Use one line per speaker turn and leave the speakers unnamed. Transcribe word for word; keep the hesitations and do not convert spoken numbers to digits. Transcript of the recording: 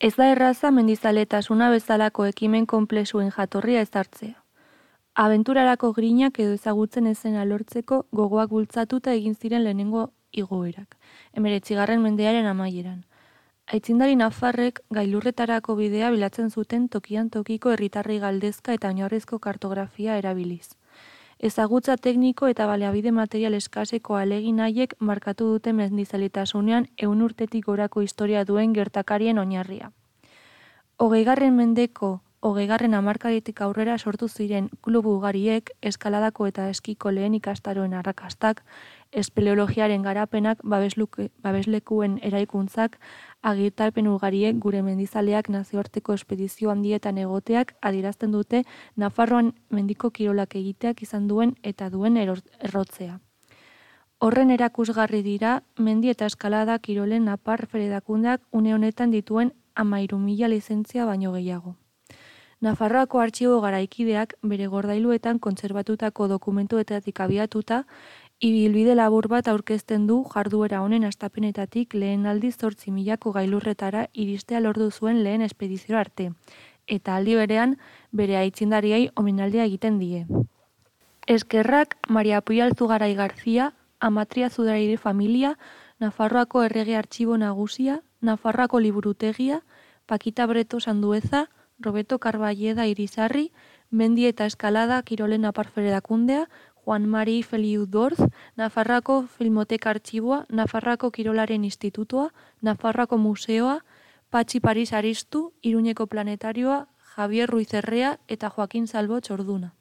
Ez da erraza mendizaletasuna bezalako ekimen konplexuen jatorria ezartzea. Abenturarako grinak edo ezagutzen ezena lortzeko gogoak bultzatuta egin ziren lehenengo igoerak, hemeretzigarren mendearen amaieran. Aitzindari nafarrek gailurretarako bidea bilatzen zuten tokian tokiko herritarrei galdezka eta oinarrizko kartografia erabiliz. Ezagutza tekniko eta baliabide material eskaseko ahalegin haiek markatu dute mendizaletasunian ehun urtetik gorako historia duen gertakarien oinarria. Hogeigarren mendeko hogeigarren hamarkadetik aurrera sortu ziren klubu ugariek, eskaladako eta eskiko lehen ikastaroen arrakastak, espeleologiaren garapenak, babesluke, babeslekuen eraikuntzak, agitarpen ugariek gure mendizaleak nazioarteko espedizio handietan egoteak adierazten dute Nafarroan mendiko kirolak egiteak izan duen eta duen errotzea. Horren erakusgarri dira mendi eta eskalada kirolen napar fedekundeak une honetan dituen hamairu mila lizentzia baino gehiago. Nafarroako artxibo garaikideak bere gordailuetan kontserbatutako dokumentuetatik abiatuta, ibilbide labur bat aurkezten du jarduera honen hastapenetatik lehen aldiz zortzi milako gailurretara iristea lortu zuen lehen espedizio arte, eta aldi berean bere aitzindariei omenaldia egiten die. Eskerrak Maria Puyalzugarai Garzia, Amatria Zudairi familia, Nafarroako errege artxibo nagusia, Nafarroako liburutegia, Pakita Breto Sandueza, Roberto Carballeda Irizarri, Mendi eta Eskalada Kirolen Aparferedakundea, Juan Mari Feliu Dorz, Nafarroako Filmoteka Artxiboa, Nafarroako Kirolaren Institutua, Nafarroako Museoa, Patxi Paris Aristu, Iruñeko Planetarioa, Javier Ruiz Errea eta Joaquin Salvo Txorduna.